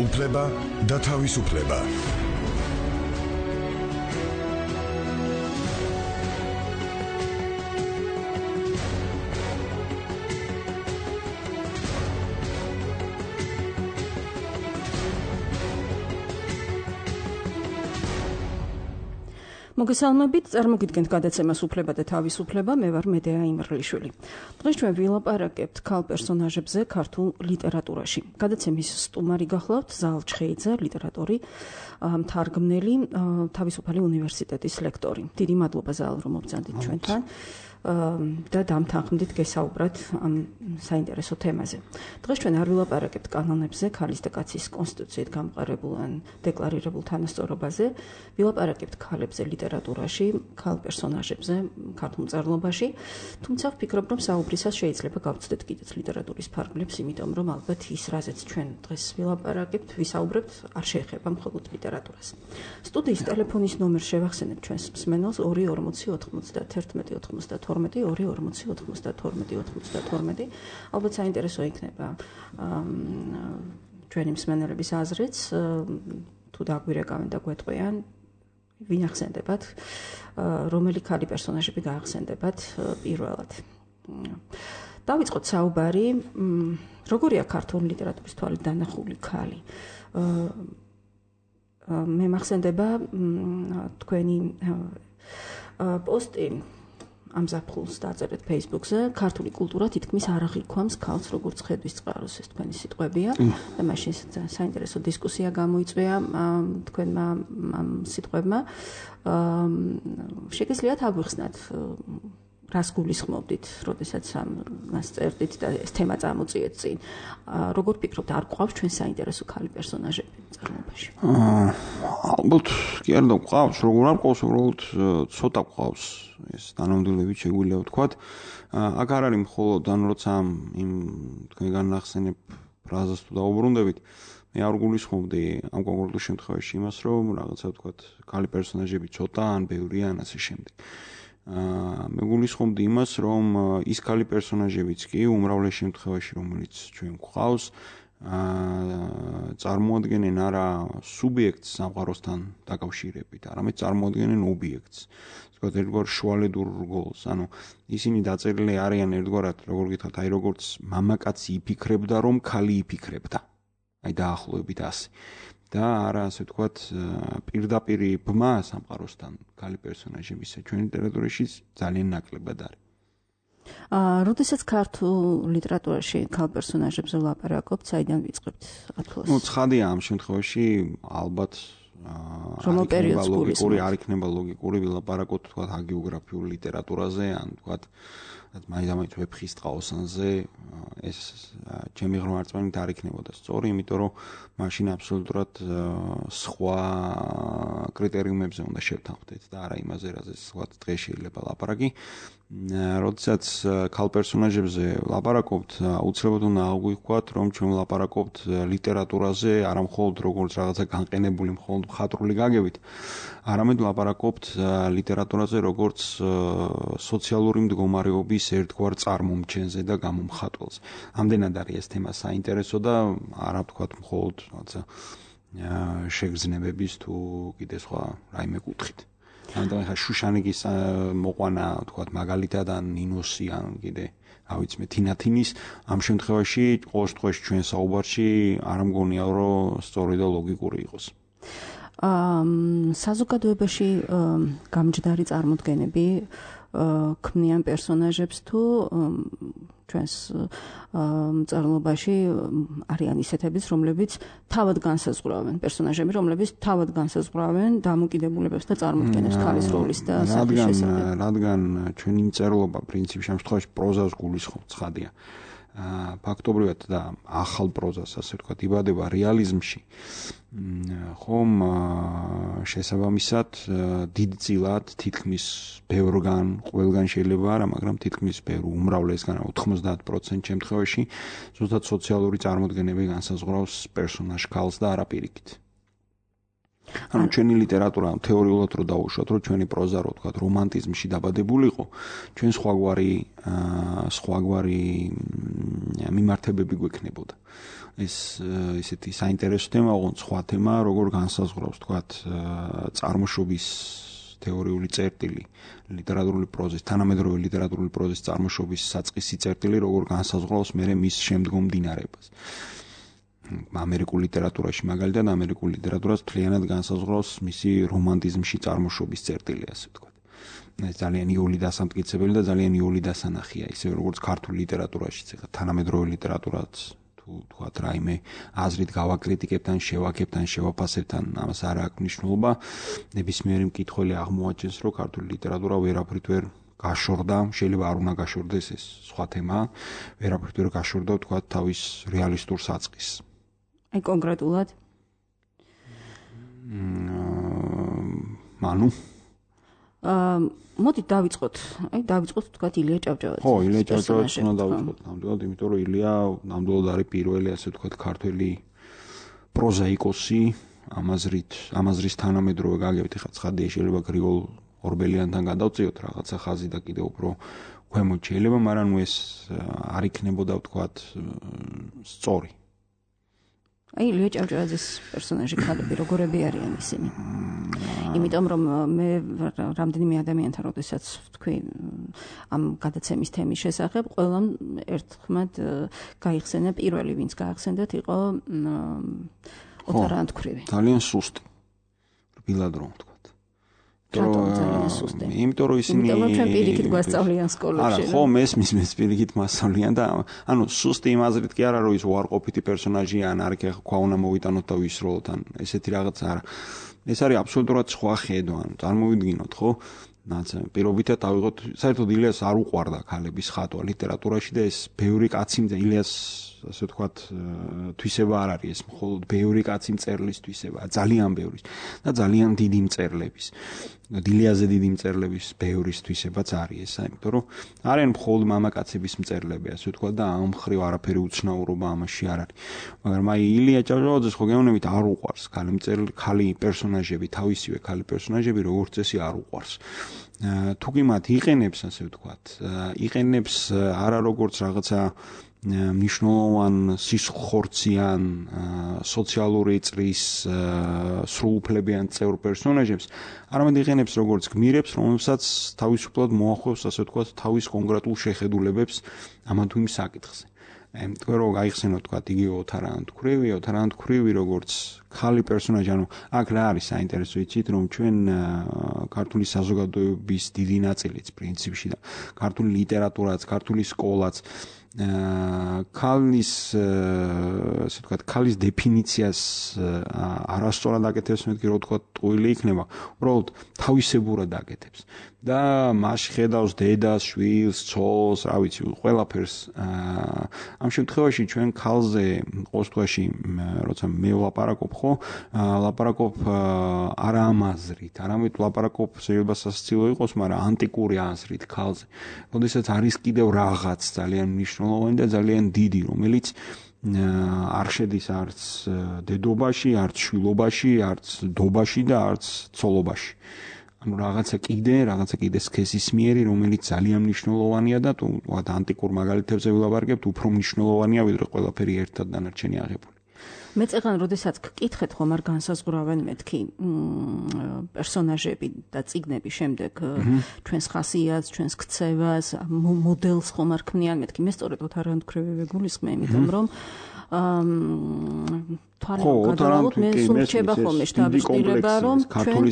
უფლება და თავისუფლება. მოგესალმებით, წარმოგიდგენთ გადაცემას უფლება და თავისუფლება, მე ვარ მედეა იმრლიშვილი. დღეს ჩვენ ვილაპარაკებთ ქალ პერსონაჟებზე ქართულ ლიტერატურაში. გადაცემის სტუმარი გახლავთ ზალ ჩხეიძე, ლიტერატორი, მთარგმნელი, თავისუფალი უნივერსიტეტის ლექტორი. დიდი მადლობა ზალ, რომ მობრძანდით ჩვენთან და დამთანხმდით გესაუბრათ ამ საინტერესო თემაზე. დღეს ჩვენ არ ვილაპარაკებთ კანონებზე, ქალის და კაცის კონსტიტუციით გამყარებულ ან დეკლარირებულ თანასწორობაზე, ვილაპარაკებთ ქალებზე ლიტერატურაში, ქალ პერსონაჟებზე, ქართულ მწერლობაში, თუმცა ვფიქრობ, რომ საუბრისას შეიძლება გავცდეთ კიდეც ლიტერატურის ფარგლებს, იმიტომ რომ ალბათ ის, რაზეც ჩვენ დღეს ვილაპარაკებთ, ვისაუბრებთ, არ შეეხება მხოლოდ ლიტერატურას. სტუდიის ტელეფონის ნომერს შევახსენებ ჩვენს მსმენელს 240 91 92 240 ალბათ საინტერესო იქნება ჩვენი მსმენელების აზრიც, თუ დაგვირეკავენ და გვეტყვიან, ვინ ახსენდებათ, რომელი ქალი პერსონაჟები გაახსენდებათ პირველად. დავიწყოთ საუბარი, როგორია ქართული ლიტერატურის თვალით დანახული ქალი. მე მახსენდება თქვენი პოსტი ამ ზაფხულს დაწერეთ Facebook-ზე, ქართული კულტურა თითქმის არ აღიქვამს ქალს როგორც ხედვის წყაროს, ეს თქვენი სიტყვებია და მაშინ საინტერესო დისკუსია გამოიწვია თქვენმა ამ სიტყვებმა. შეგიძლიათ აგვიხსნათ, რას გულისხმობდით, როდესაც ამას წერდით და ეს თემა წამოწიეთ წინ. როგორ ფიქრობთ, არ გვყავს ჩვენ საინტერესო ქალი პერსონაჟები მწერლობაში? ალბათ კი არ გვყავს, როგორ არ გვყავს, უბრალოდ ცოტა გვყავს. ეს დანამდვილებით შეგვიძლია ვთქვათ. აქ არ არის მხოლოდ ან როცა იმ თქვენ განახსენებ ფრაზას თუ დაუბრუნდებით, მე არ გულისხმობდი ამ კონკრეტულ შემთხვევაში იმას, რომ რაღაცა ვთქვათ, ქალი პერსონაჟები ცოტა ან ბევრია ან ასე შემდეგ. მე გულისხმობდი იმას, რომ ის ქალი პერსონაჟებიც კი უმრავლეს შემთხვევაში, რომელიც ჩვენ გვყავს, წარმოადგენენ არა სუბიექტს სამყაროსთან დაკავშირებით, არამედ წარმოადგენენ ობიექტს. ვთქვათ, ერთგვარ შუალედურ რგოლს. ანუ ისინი დაწერილი არიან ერთგვარად, როგორ გითხრათ, აი როგორც მამაკაცი იფიქრებდა, რომ ქალი იფიქრებდა. აი დაახლოებით ასე. და არა ასე ვთქვათ, პირდაპირი ბმა სამყაროსთან ქალი პერსონაჟებისა ჩვენ ლიტერატურაში ძალიან ნაკლებად არის. როდესაც ქართულ ლიტერატურაში ქალ პერსონაჟებზე ვლაპარაკობთ, საიდან ვიწყებთ ათვლას? ცხადია ამ შემთხვევაში ალბათ რომელ პერიოდს ლოგიკური არ იქნება ლოგიკური ვილაპარაკოთ თქვათ ჰაგიოგრაფიულ ლიტერატურაზე, ან თქვათ მაინც ვეფხის ტყაოსანზე, ეს ჩემი ღრმავარწმენით არ იქნებოდა სწორი, იმიტომ რომ მაშინ აბსოლუტურად სხვა კრიტერიუმებზე უნდა შევთანხმდეთ და არა იმაზე, რაზეც თქვათ დღეს შეიძლება ლაპარაკი. როდესაც ქალ პერსონაჟებზე ვლაპარაკობთ, აუცილებლად უნდა აღვიქვათ, რომ ჩვენ ვლაპარაკობთ ლიტერატურაზე, არა მხოლოდ როგორც რაღაცა განყენებული მხოლოდ მხატვრული გაგებით, არამედ ვლაპარაკობთ ლიტერატურაზე როგორც სოციალური მდგომარეობის ერთგვარ წარმომჩენზე და გამომხატველზე. ამდენად არის ეს თემა საინტერესო და არა ვთქვათ მხოლოდ რაღაცა შეგრძნებების თუ კიდე სხვა რაიმე კუთხით. ამიტომ ხა შუშანიკის მოყვანა თქვათ მაგალითად ან ნინოსი ან კიდე რა ვიცი მე თინათინის ამ შემთხვევაში ყოველ შემთხვევაში ჩვენ საუბარში არ მგონია რომ სწორი და ლოგიკური იყოს. საზოგადოებაში გამჯდარი წარმოდგენები ქმნიან პერსონაჟებს თუ ჩვენს მწერლობაში არიან ისეთებიც, რომლებიც თავად განსაზღვრავენ პერსონაჟები, რომლებიც თავად განსაზღვრავენ დამოკიდებულებებს და წარმოდგენებს ქალის როლის და სახის შესახებ. რადგან ჩვენი მწერლობა პრინციპში ამ შემთხვევაში პროზას გულისხმობს, ცხადია. ფაქტობრივად და ახალ პროზას, ასე ვთქვათ, იბადება რეალიზმში. ხომ შესაბამისად დიდწილად თითქმის ბევრგან, ყველგან შეიძლება არა, მაგრამ თითქმის ბევრ უმრავლესგან 90% შემთხვევაში ზუსტად სოციალური წარმოდგენები განსაზღვრავს პერსონაჟ ქალს და არა პირიქით. ანუ ჩვენი ლიტერატურა თეორიულად რო დავუშვათ, რომ ჩვენი პროზა რო თქვა რომანტიზმში დაბადებულიყო, ჩვენ სხვაგვარი მიმართებები გვექნებოდა. ეს ისეთი საინტერესო თემა, ოღონდ სხვა თემა, როგორ განსაზღვრავს თქვა წარმოშობის თეორიული წერტილი, ლიტერატურული პროზის, თანამედროვე ლიტერატურული პროზის წარმოშობის საწყისი წერტილი, როგორ განსაზღვრავს მერე მის შემდგომ დინარებას. ამერიკულ ლიტერატურაში მაგალითად ამერიკულ ლიტერატურას მთლიანად განსაზღვრავს მისი რომანტიზმში წარმოშობის წერტილი, ასე ვთქვათ. ეს ძალიან იოლი დასამტკიცებელი და ძალიან იოლი დასანახია, ისე როგორც ქართულ ლიტერატურაშიც, ეხლა თანამედროვე ლიტერატურაც თუ თქვათ რაიმე აზრით გავაკრიტიკებთ ან შევაკებთ ან შევაფასებთ, ამას არ აქვს მნიშვნელობა. ნებისმიერი მკითხველი აღმოაჩენს, რომ ქართული ლიტერატურა ვერაფრით ვერ გაშორდა, შეიძლება არ უნდა გაშორდეს, ეს სხვა თემაა, ვერაფრით ვერ გაშორდა თქვათ თავის რეალისტურ საწყისს. აი კონკრეტულად? ანუ მოდით დავიწყოთ თქვათ ილია ჭავჭავაძე. ხო, ილია ჭავჭავაძე უნდა დავიწყოთ ნამდვილად, იმიტომ რომ ილია ნამდვილად არის პირველი, ასე ვთქვათ, ქართველი პროზაიკოსი, ამაზრის თანამედროვე გაგებით, ხა ცხადია შეიძლება გრიგოლ ორბელიანთან გადავწიოთ რაღაცა ხაზი და კიდევ უფრო ქვემოთ შეიძლება, მაგრამ ეს არ იქნებოდა ვთქვათ სწორი. აი ილია ჭავჭავაძის პერსონაჟი ქალები როგორები არიან ისინი? იმიტომ რომ მე რამდენიმე ადამიანთან როდესაც ვთქვი ამ გადაცემის თემის შესახებ, ყველამ ერთხმად გაიხსენა პირველი, ვინც გაახსენდათ, იყო ოთარ ანთქვრივი. ძალიან სუსტი. რბილად რომ ვთქვათ. იმიტომ რომ ისინი ჩვენ პირიქით გვასწავლიან სკოლებში. არა, ხო, მესმის პირიქით მასწავლიან და ანუ სუსტი იმ აზრით კი არა, რომ ის უარყოფითი პერსონაჟია, ან არ იქ ხვა უნდა მოვიტანოთ და ვისროლოთ, ან ესეთი რაღაც არა. ეს არის აბსოლუტურად სხვა ხედვა, ანუ წარმოვიდგინოთ, ხო? პირობითად ავიღოთ, საერთოდ ილიას არ უყვარდა ქალების ხატვა ლიტერატურაში და ეს ბევრი კაცი ილიას ასე ვთქვათ, თვისება არ არის ეს, მხოლოდ ბევრი კაცი მწერლის თვისებაა, ძალიან ბევრის და ძალიან დიდი მწერლების. ილიაზე დიდი მწერლების ბევრის თვისებაც არის ეს, იმიტომ რომ არიან მხოლოდ მამაკაცების მწერლები, ასე ვთქვათ და ამ მხრივ არაფერი უცნაურობა ამაში არ არის. მაგრამ აი ილია ჭავჭავაძეს ხო გეუბნებით არ უყვარს ქალი პერსონაჟები, თავისივე ქალი პერსონაჟები, როგორც წესი არ უყვარს. თუ კი მათ იყენებს, ასე ვთქვათ, იყენებს არა როგორც რაღაცა მნიშვნელოვან სისხლხორციან სოციალური წრის სრულუფლებიან წევრ პერსონაჟებს, არამედ იყენებს როგორც გმირებს, რომელსაც თავისუფლად მოახვევს, ასე ვთქვათ, თავის კონკრეტულ შეხედულებებს ამა თუ იმ საკითხზე. თქვენ რომ გაიხსენოთ თქვათ იგივე ოთარ ანთქვრივი როგორც ქალი პერსონაჟი, ანუ აქ რა არის საინტერესო იცით, რომ ჩვენ ქართული საზოგადოების დიდი ნაწილიც პრინციპში და ქართული ლიტერატურაც, ქართული სკოლაც ქალის ასე ვთქვათ, ქალის დეფინიციას არასწორად აკეთებს, მეთქი რო ვთქვათ, ტყუილი იქნება, უბრალოდ თავისებურად აკეთებს. და მასში ხედავს დედას, შვილს, ცოლს, რა ვიცი, ყველაფერს. ამ შემთხვევაში ჩვენ ქალზე ყოველთვის როცა მე ვლაპარაკობ, ხო, ლაპარაკობ არა ამ აზრით, არამედ ლაპარაკობ შეიძლება სასაცილო იყოს, მაგრამ ანტიკური აზრით ქალზე. როდესაც არის კიდევ რაღაც ძალიან მნიშვნელოვანი და ძალიან დიდი, რომელიც არ შედის არც დედობაში, არც შვილობაში, არც დობაში და არც ცოლობაში. ანუ რაღაცა კიდე სქესისმიერი, რომელიც ძალიან მნიშვნელოვანია და თუ ანტიკურ მაგალითებზე ვილაპარაკებთ, უფრო მნიშვნელოვანია, ვიდრე ყველაფერი ერთად დანარჩენი აღებული. მე წეგან როდესაც გკითხეთ ხომ არ განსაზღვრავენ მეთქი პერსონაჟები და წიგნები შემდეგ ჩვენს ხასიათს, ჩვენს ქცევას, მოდელს ხომ არ ქმნიან მეთქი. მე სწორედ ოთარ ანთქვრივი ვეგულისხმე, იმიტომ რომ თვალყადავთ მე სულ რჩება ხოლმე შთაბეჭდილება, რომ ქართული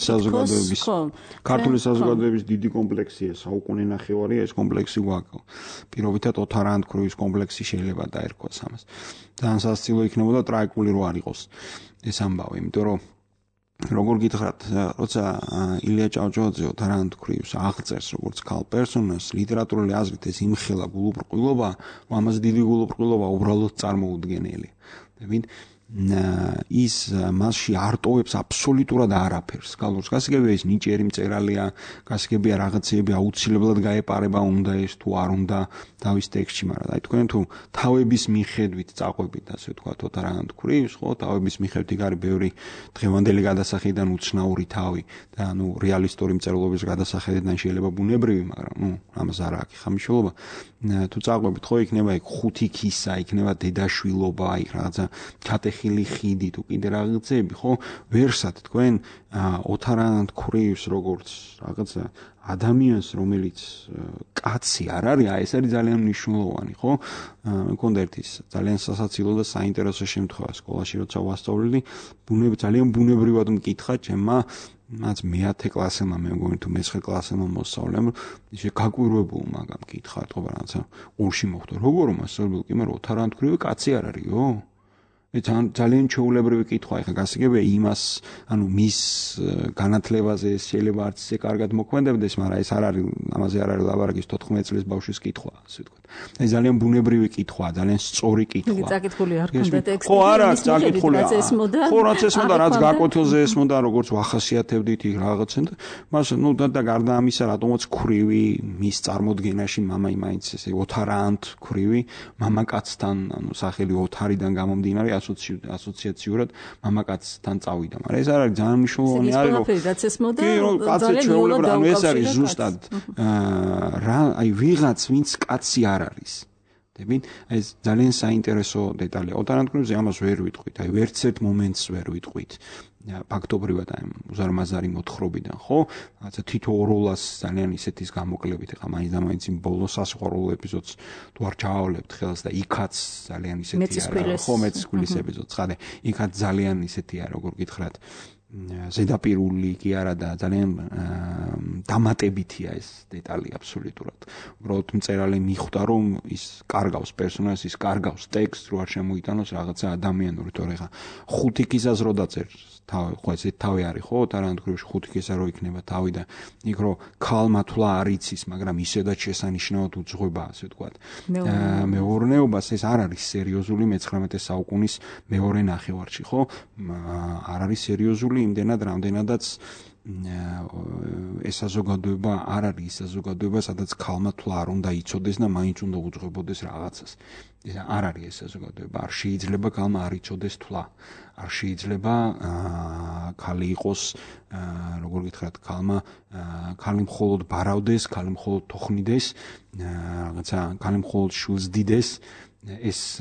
საზოგადოების დიდი კომპლექსია, საუკუნე ნახევარია ეს კომპლექსი გვაქვს. პირობითად ოთარ ანთქვრივის კომპლექსი შეიძლება დაერქვას ამას. ძალიან სასაცილო იქნებოდა ტრაგიკული რო არ იყოს ეს ამბავი, იმიტომ რომ როგორ გითხრათ, როცა ილია ჭავჭავაძე ოთარ ანთქვრივს აღწერს როგორც ქალ პერსონაჟს, ლიტერატურული აზრით ეს იმხელა გულუბრყვილობა, რომ ამაზე დიდი გულუბრყვილობა უბრალოდ წარმოუდგენელია. ის მასში არტოვებს აბსოლუტურად არაფერს. გალოს გასაგებია ის ნიჭიერი მწერალია, გასაგებია რაღაცეები აუცილებლად გაეპარება უნდა ეს თუ არ უნდა თავის ტექსტში, მაგრამ აი თქვენ თუ თავების მიხედვით წაყვებით, ასე ვთქვათ, ოთარაგან თქვრის, ხო, თავების მიხედვით იქ არის ბევრი დღევანდელი გადასახედიდან უცნაური თავი და რეალისტური მწერლობის გადასახედიდან შეიძლება ბუნებრივი, მაგრამ ამას არ აქვს ხამიშულობა. თუ წაყვებით, ხო, იქნება იქ ხუთი ქისა, იქნება დედაშვილობა, იქ რაღაცა ჩატეხილი ხიდი თუ კიდე რაღაცები, ხო, ვერსად თქვენ ოთარაგან თქვრის როგორც რაღაცა ადამიანს, რომელიც კაცი არ არის, ეს არის ძალიან მნიშვნელოვანი, ხო? მქონდა ერთი ძალიან სასაცილო და საინტერესო შემთხვევა სკოლაში, როცა ვასწავლდი, ძალიან ბუნებრივად მკითხა ჩემმა რაც მე-10 კლასელმა, მე მგონი თუ მე-9 კლასელმა მოსწავლემ, ისე გაკვირვებულ მაგამ მკითხა, თქო, რაღაცა ორში მოხდა. როგორ მასწავლებელი კი, მაგრამ ოთარაგან თქვრივი კაცი არ არისო? ძალიან ჩვეულებრივი კითხვა, ეხლა გასაგებია იმას, მის განათლებაზე შეიძლება არც ისე კარგად მოქმედებდეს, მაგრამ ეს არ არის, ამაზე არ არის ლაბარაკის 14 წლის ბავშვის კითხვა, ასე ვთქვათ. ეს ძალიან ბუნებრივი კითხვა, ძალიან სწორი კითხვა. წაკითხული არ ქონდა ტექსტი. ხო, არა, წაკითხული. ხო, რაც ესმოდა, რაც გაკვეთილზე ესმოდა, როგორც ვახასიათებდით იქ რაღაცენ და მას და გარდა ამისა, რატომაც ქვრივი მის წარმოდგენაში მამა იმაინც ესე ოთარანთ ქვრივი, მამაკაცთან, სახელი ოთარიდან გამომდინარე ასოციაციურად მამაკაცთან წავიდა, მაგრამ ეს არ არის ძალიან მნიშვნელოვანი არის, რომ რაც ესმოდა ძალიან ჩვეულებრივი, ეს არის ზუსტად აი ვიღაც ვინც კაცი არ არის. ეს ძალიან საინტერესო დეტალია. ოთარაგან თქვენზე ამას ვერ ვიტყვით, აი ვერც ერთ მომენტს ვერ ვიტყვით. ფაქტობრივად აი უზარმაზარი მოთხრობიდან, ხო? რაღაცა თითო ოროლას ძალიან ისეთის გამოკლებით, ეხლა მაინც იმ ბოლოს სასიყვარულო ეპიზოდს თუ არ ჩავავლებთ ხელს და იქაც ძალიან ისეთი არა, ხო, მეცისქვილის ეპიზოდს, ხადე, იქაც ძალიან ისეთია, როგორ გითხრათ, ზედაპირული კი არა და ძალიან დამატებითია ეს დეტალი აბსოლუტურად. უბრალოდ მწერალი მიხვდა, რომ ის კარგავს პერსონაჟს, ის კარგავს ტექსტს, რო არ შემოიტანოს რაღაცა ადამიანური, თორე ხა ხუთი ქისას რო დაწერს თავი, ხო ეს თავი არის, ხო, ოთარაგან თქვრივში ხუთი ქისა რო იქნება თავი და იქ რო ქალმა თვლა არ იცის, მაგრამ ისედაც შესანიშნავად უძღვება, ასე ვთქვათ. მეურნეობას ეს არ არის სერიოზული მე-19 საუკუნის მეორე ნახევარში, ხო? არ არის სერიოზული იმდენად, რამდენადაც ეს საზოგადოება არ არის ის საზოგადოება, სადაც ქალმა თვლა არ უნდა იცოდეს და მაინც უნდა უძღვებოდეს რაღაცას. ეს არ არის ეს საზოგადოება. არ შეიძლება ქალმა არ იცოდეს თვლა. არ შეიძლება ქალი იყოს, როგორ გითხრათ, ქალი მხოლოდ ბარავდეს, ქალი მხოლოდ თოხნიდეს, რაღაცა ქალი მხოლოდ შვილს დიდეს. ეს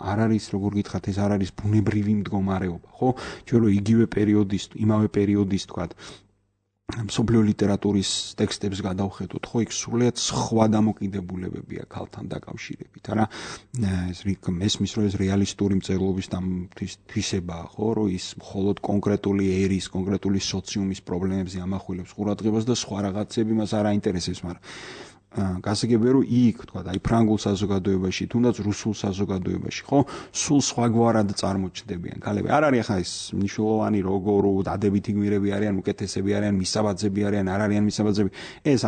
არ არის, როგორ გითხრათ, ეს არ არის ბუნებრივი მდგომარეობა, ხო? ჩვენ რო იმავე პერიოდის, თქვათ, მსოფლიო ლიტერატურის ტექსტებს გადავხედოთ, ხო, იქ სრულიად სხვა დამოკიდებულებებია ქალთან დაკავშირებით, არა? ესმის, რომ ეს რეალისტური მწერლობის თვისებაა, ხო, რომ ის მხოლოდ კონკრეტული ერის, კონკრეტული სოციუმის პრობლემებზე ამახვილებს ყურადღებას და სხვა რაღაცები მას არ აინტერესებს, მაგრამ გასაგებია, რომ იქ, თქვა, აი ფრანგულ საზოგადოებაში, თუნდაც რუსულ საზოგადოებაში, ხო, სულ სხვაგვარად წარმოჩნდებიან ქალები. არ არის ახლა ეს მნიშვნელოვანი როგორ დადებითი გმირები არიან, უკეთესები არიან, მისაბაძები არიან, არ არიან მისაბაძები. ეს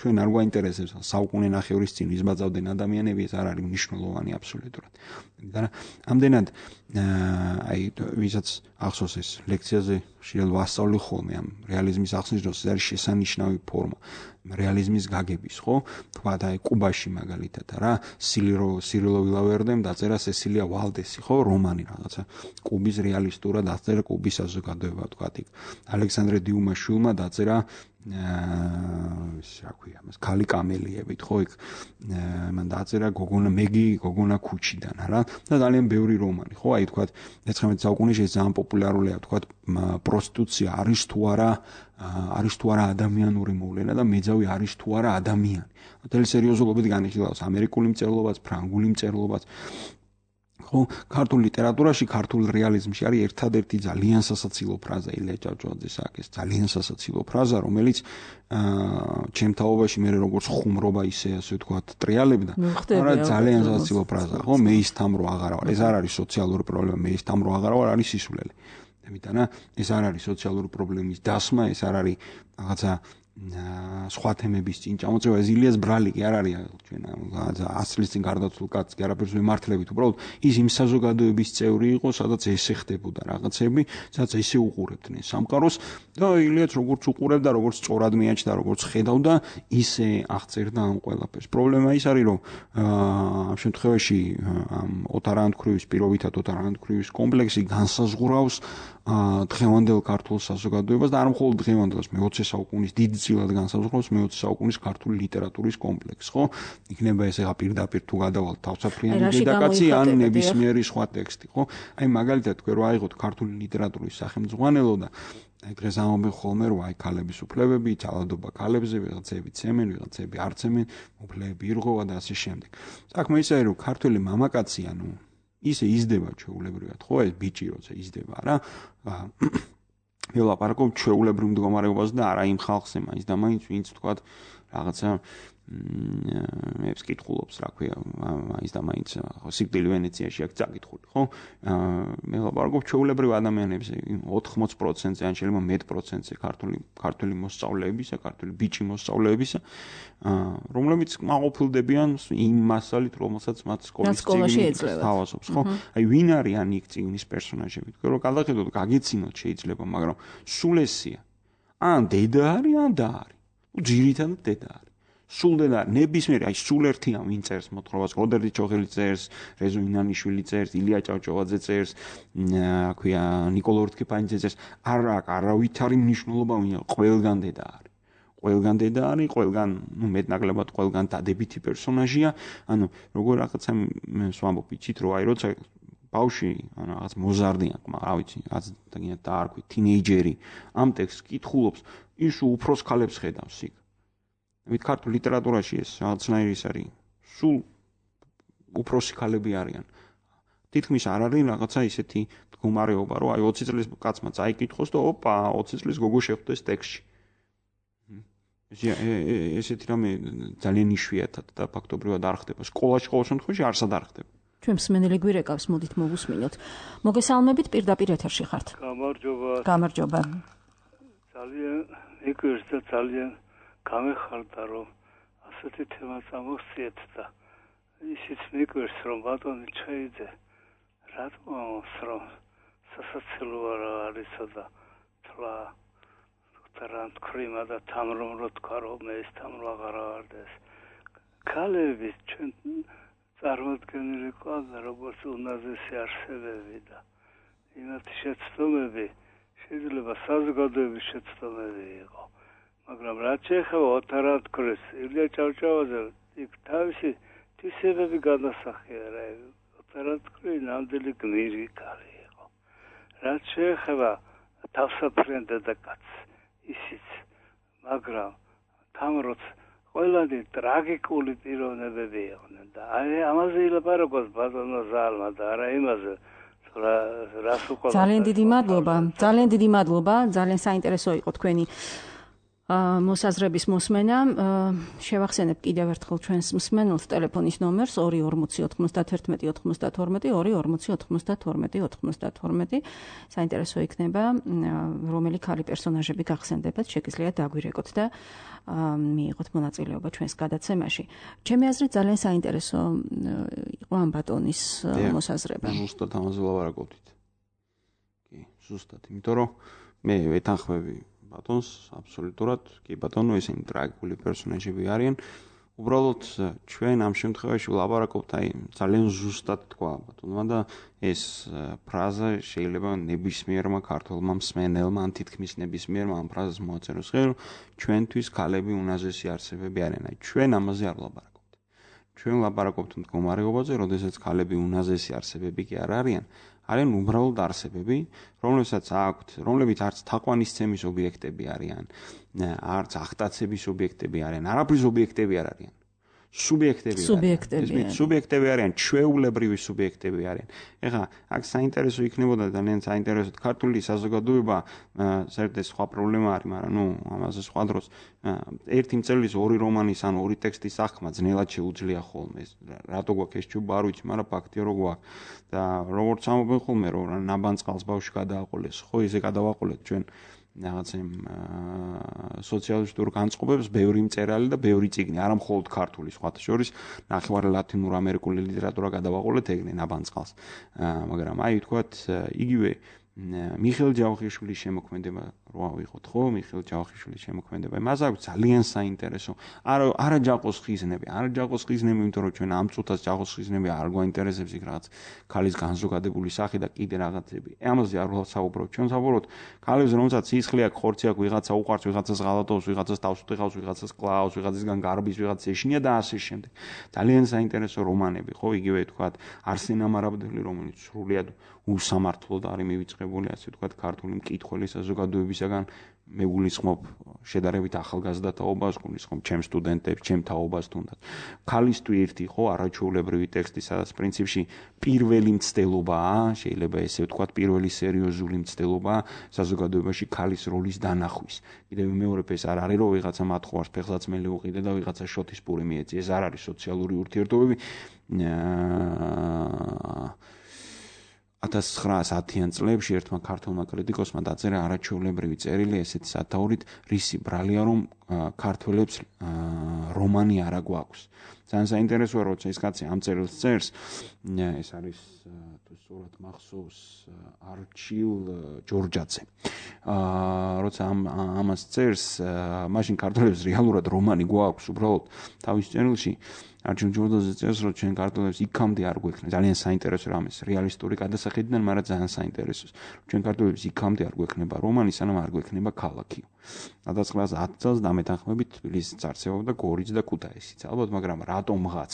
ჩვენ არ გვაინტერესებს, საუკუნე ნახევრის წინ იზბაძავდნენ ადამიანები, ეს არ არის მნიშვნელოვანი აბსოლუტურად. და ამდენად აი ვისაც ახსოვს ეს ლექციაზე შეიძლება ვასწავლი ხოლმე ამ რეალიზმის ახსნის დროს, ეს არის შესანიშნავი ფორმა რეალიზმის გაგების, ხო? თქვა აი კუბაში მაგალითად რა, სირილო ვილავერდემ დაწერა სესილია ვალდესი, ხო, რომანი რაღაცა კუბის რეალისტურად დაწერა კუბის საზოგადოება, თქვა იქ ალექსანდრე დიუმაშვილმა დაწერა რა ქვია მას ქალი კამელიებით, ხო, იქ მან დაწერა გოგონა ქუჩიდან, რა, და ძალიან ბევრი რომანი, ხო, აი თქვა 19 საუკუნეში ძალიან პოპულარულია, თქვა პროსტიტუცია არის თუ არა ადამიანური მოვლენა და მეძავი არის თუ არა ადამიანი. მთელი სერიოზულობით განიხილავს ამერიკული მწერლობაც, ფრანგული მწერლობაც. ხო, ქართულ ლიტერატურაში, ქართულ რეალიზმში არის ერთადერთი ძალიან სასაცილო ფრაზა ილია ჭავჭავაძეს აქვს, ძალიან სასაცილო ფრაზა, რომელიც ჩემთაობაში მე როგორც ხუმრობა ისე ასე ვთქვათ, ტრიალებდა, მაგრამ ძალიან სასაცილო ფრაზა, ხო, მე ის თან რო აღარა ვარ. ეს არ არის სოციალური პრობლემა, მე ის თან რო აღარა ვარ, არის სისულელი. ამიტომ ეს არ არის სოციალური პრობლემის დასმა, ეს არ არის რაღაცა სხვა თემების წინ ჩამოწევა ეს ილიას ბრალი კი არ არის ჩვენ ასლის წინ გარდაცვლილ კაცს კი არაფერს ვემართლებით უბრალოდ ის იმ საზოგადოების წევრი იყო სადაც ესე ხდებოდა რაღაცები სადაც ესე უყურებდნენ სამყაროს და ილიაც როგორც უყურებდა როგორც სწორად მიაჩნდა როგორც ხედავდა ისე აღწერდა ამ ყველაფერს პრობლემა ის არის რომ ამ შემთხვევაში ოთარანთქრივის პირობითად ოთარანთქრივის კომპლექსი განსაზღვრავს დღევანდელ ქართულ საზოგადოებას და არ მხოლოდ დღევანდელს მე-20 საუკუნის დიდწილად განსაზღვრავს მე-20 საუკუნის ქართული ლიტერატურის კომპლექსს, ხო? იქნება ეს ახლა პირდაპირ თუ გადავალთ თავსაფრიანი დედაკაცი ან ნებისმიერი სხვა ტექსტი, ხო? აი მაგალითად თქვენ რა აიღოთ ქართული ლიტერატურის სახელმძღვანელო და დღეს ამობენ ხოლმე რომ აი ქალების უფლებები, ძალადობა ქალებზე, ვიღაცები ცემენ, ვიღაცები არ ცემენ, უფლებები ირღვევა და ასე შემდეგ. საქმე ისაა რომ ქართული მამაკაცი ანუ ისე იზრდება ჩვეულებრივად, ხო, ეს ბიჭი როცა იზრდება რა. ველაპარაკობ ჩვეულებრივ მდგომარეობაზე და არა იმ ხალხზე მაინც და მაინც ვინც თქვა რაღაცა მე ვკითხულობს რა ქვია მაინც და მაინც სიკვდილი ვენეციაში აქვს წაკითხული ხო მე ვლაპარაკობ ჩვეულებრივ ადამიანებზე 80%-ზე ან შეიძლება მეტ პროცენტზე ქართული მოსწავლეებისა ქართული ბიჭი მოსწავლეებისა რომლებიც მაყოფილდებიან იმ მასალით რომელსაც მათ სკოლაში ეძლევათ ხო აი ვინ არიან იქ წიგნის პერსონაჟები თქო რომ გადახედოთ გაგიცინოთ შეიძლება მაგრამ სულ ესია ან დედა არის ან და არის ძირითადად დედა არის სულ დედა ნებისმიერი აი სულ ერთია ვინ წერს მოთხრობას როდერდი ჩოხელი წერს რეზო ინანიშვილი წერს ილია ჭავჭავაძე წერს აქვია ნიკოლო ორთქიფანიძე წერს არავით არის მნიშვნელობა ვინ ყველგან დედა არის ყველგან დედა არის ყველგან ნუ მეტნაკლებად ყველგან დადებითი პერსონაჟია ანუ როგორ რაღაცა ვამბობ იცით რომ აი როცა ბავში ან რაღაც მოზარდი აქვს რა ვიცი რაც და არ ქვი თინეიჯერი ამ ტექსტს კითხულობს ის უფროს ქალებს ხედავს იქ მით ქართულ ლიტერატურაში ეს რაღაცნაირი ის არის სულ უფროსი ქალები არიან თითქმის არ არის რაღაცა ისეთი მდგომარეობა რომ აი 20 წლის კაცმა წაიკითხოს და ოპა 20 წლის გოგო შეხვდეს ტექსტში ესეთი რამე ძალიან იშვიათად და ფაქტობრივად არ ხდება სკოლაში ყოველ შემთხვევაში არსად არ ხდება ჩვენ მსმენელი გვირეკავს მოდით მოვუსმინოთ მოგესალმებით პირდაპირ ეთერში ხართ გამარჯობა ძალიან მიგერს და ძალიან გამეხარდა რომ ასეთი თემა წამოვსიეთ და ისიც მიგერს რომ ბატონი ჩაიდე რატომ რომ სასაცილო არისა და თლა თარანთ ქრიმა და თამრომ რო თქვა რომ ეს თამრო აღარ ავარდეს ქალები ჩვენ წარმოდგენილი ყავდა როგორც უნაზესი არსებები და იმათი შეცდომები შეიძლება საზოგადოების შეცდომები იყო მაგრამ რაც შეეხება ოთარანთქრის ილია ჭავჭავაძე იქ თავისი თვისებები განასახიერა ოთარანთქრი ნამდვილი გმირი ქალი იყო რაც შეეხება თავსაფრიან დედაკაცს ისიც მაგრამ თამროც ყველანი ტრაგიკული პიროვნებები იყვნენ და აი ამაზე ილაპარაკოს ბატონო ზალმა და არა იმაზე რას უყურებთ ძალიან დიდი მადლობა ძალიან საინტერესო იყო თქვენი მოსაზრების მოსმენა შევახსენებ კიდევ ერთხელ ჩვენს მსმენელს ტელეფონის ნომერს 2409192 საინტერესო იქნება რომელი ქალი პერსონაჟები გახსენდებათ შეგიძლიათ დაგვირეკოთ და მიიღოთ მონაწილეობა ჩვენს გადაცემაში ჩემი აზრით ძალიან საინტერესო იყო ამ ბატონის მოსაზრება ზუსტად ამაზე ვლაპარაკობთ კი ზუსტად იმიტომ რომ მე ვეთანხმები ბატონს აბსოლუტურად კი ბატონო ესენი ტრაგიკული პერსონაჟები არიან უბრალოდ ჩვენ ამ შემთხვევაში ვლაპარაკობთ აი ძალიან ზუსტად თქვა ბატონმა და ეს ფრაზა შეიძლება ნებისმიერმა ქართველმა მსმენელმა ან თითქმის ნებისმიერმა ამ ფრაზას მოაწეროს ხელ ჩვენთვის ქალები უნაზესი არსებები არიან აი ჩვენ ამაზე არ ვლაპარაკობთ ჩვენ ვლაპარაკობთ მდგომარეობაზე როდესაც ქალები უნაზესი არსებები კი არ არიან არიან უბრალოდ არსებები, რომლებიც არც თაყვანისცემის ობიექტები არიან, არც აღტაცების ობიექტები არიან, არაფრის ობიექტები არ არიან. სუბიექტები არიან, ჩვეულებრივი სუბიექტები არიან. ეხლა აქ საინტერესო იქნებოდა ძალიან საინტერესოდ ქართული საზოგადოება საერთოდ სხვა პრობლემა არის, მაგრამ ნუ ამაზე სხვა დროს ერთი მწერლის ორი რომანის ან ორი ტექსტის აღქმა ძნელად შეუძლია ხოლმე. რატო გვაქვს ეს ჩუბა არ ვიცი, მაგრამ ფაქტია რომ გვაქვს. და როგორც ამობენ ხოლმე რომ ნაბანწყალს ბავშვი გადააყოლეს, ხო ისე გადავაყოლეთ ჩვენ რაღაცა სოციალისტურ განწყობებს ბევრი მწერალი და ბევრი წიგნი, არა მხოლოდ ქართული, სხვათა შორის ნახევარი ლათინურ ამერიკული ლიტერატურა გადავაყოლეთ ეგრე ნაბანწყალს. მაგრამ აი ვთქვათ, იგივე მიხეილ ჯავახიშვილის შემოქმედება რა ვიყოთ, ხო? მიხეილ ჯავახიშვილის შემოქმედება. მას აქვს ძალიან საინტერესო. არა ჯაყოს ხიზნები, იმიტომ რომ ჩვენ ამ წუთას ჯაყოს ხიზნები არ გვაინტერესებს იქ რაღაც ქალის განზოგადებული სახე და კიდე რაღაცები. ამაზე არ ვსაუბრობ. ჩვენ საუბრობთ ქალებს, რომელსაც სისხლი აქვს, ხორცი აქვს, ვიღაცა უყვარს, ვიღაცას ღალატობს, ვიღაცას თავს უხავს, ვიღაცას კლავს, ვიღაცისგან გარბის, ვიღაცას ეშინია და ასე შემდეგ. ძალიან საინტერესო რომანები, ხო? იგივე ვთქვათ, არსენ ამარაბდელი, რომელიც სრულიად უსამართლოდ არის მივიწყებული, ასე ვთქვათ, ქართული მკითხველის საზოგადოებისაგან. მე გულისხმობ შედარებით ახალგაზრდა თაობას, გულისხმობ ჩემ სტუდენტებს, ჩემ თაობას თუნდაც. ქალის ტვირთი, ხო, არაჩვეულებრივი ტექსტი, სადაც პრინციპში პირველი მცდელობაა, შეიძლება ესე ვთქვათ, პირველი სერიოზული მცდელობაა საზოგადოებაში ქალის როლის დანახვის. კიდევ მეორებ ეს არ არის, რომ ვიღაცა მათხოვარს ფეხსაცმელი უყიდე და ვიღაცა შოთის პური მიეწი. ეს არ არის სოციალური ურთიერთობები. 1910-იან წლებში ერთმა ქართველმა კრიტიკოსმა დაწერა არაჩვეულებრივი წერილი ესეთი სათაურით, რისი ბრალია რომ ქართველებს რომანი არა გვაქვს. ძალიან საინტერესოა, როცა ეს კაცი ამ წერილს წერს, ეს არის თუ სწორად მახსოვს არჩილ ჯორჯაძე. როცა ამას წერს, მაშინ ქართველებს რეალურად რომანი გვაქვს, უბრალოდ თავის წერილში არჩილ ჯორჯაძე წერს, რომ ჩვენ ქართველებს იქამდე არ გვექნება. ძალიან საინტერესო რამეს, რეალისტური გადასახედიდან, მაგრამ ძალიან საინტერესო. ჩვენ ქართველებს იქამდე არ გვექნება რომანი, სანამ არ გვექნება ქალაქი. 1910 წელს დამეთანხმებით თბილისიც არსებობდა, გორიც და ქუთაისიც. ალბათ, მაგრამ რატომღაც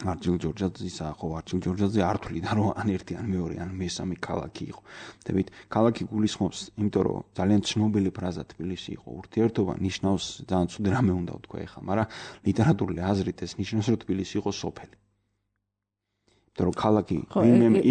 არჩილ ჯორჯაძისა, ხო, არჩილ ჯორჯაძე არ თვლიდა, რომ ან ერთი, ან მეორე, ან მესამე ქალაქი იყო. დებით, ქალაქი გულისხმობს, იმიტომ რომ ძალიან ცნობილი ფრაზა თბილისი იყო ურთიერთობა, ნიშნავს ძალიან ცუდი რამე უნდა ვთქვა ეხლა, მაგრამ ლიტერატურული აზრით ეს ნიშნავს, რომ თბილისი იყო სოფელი. იმიტომ რომ ქალაქი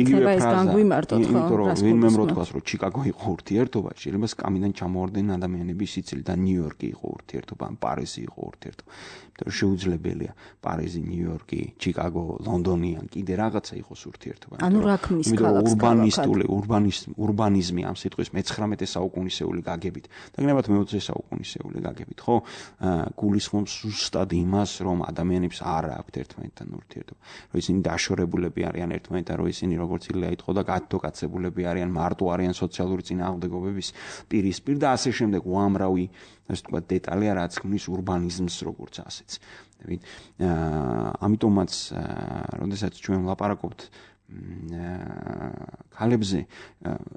იგივე ფრაზა, იმიტომ რომ ვინმე როთქვას, რომ ჩიკაგო იყო ურთიერთობა, შეიძლება სკამიდან ჩამოვარდნენ ადამიანების სიცილი და ნიუ-იორკი იყო ურთიერთობა, ან პარიზი იყო ურთიერთობა. იმიტომ რომ შეუძლებელია პარიზი, ნიუ-იორკი, ჩიკაგო, ლონდონი ან კიდე რაღაცა იყოს ურთიერთობა. ანუ რა ქმნის ქალაქს? ურბანიზმი ამ სიტყვის მე-19 საუკუნისეული გაგებით და გნებათ მე-20 საუკუნისეული გაგებით, ხო? გულისხმობს ზუსტად იმას, რომ ადამიანებს არ აქვთ ერთმანეთთან ურთიერთობა. რომ ისინი დაშორებულები არიან ერთმანეთთან, რომ ისინი როგორც ილია იტყო და გადმოკაცებულები არიან, მარტო არიან სოციალური წინააღმდეგობების პირისპირ და ასე შემდეგ. უამრავი, ასე ვთქვათ, დეტალია, რაც ქმნის ურბანიზმს როგორც ასეც. ამიტომაც, როდესაც ჩვენ ვლაპარაკობთ ქალებზე,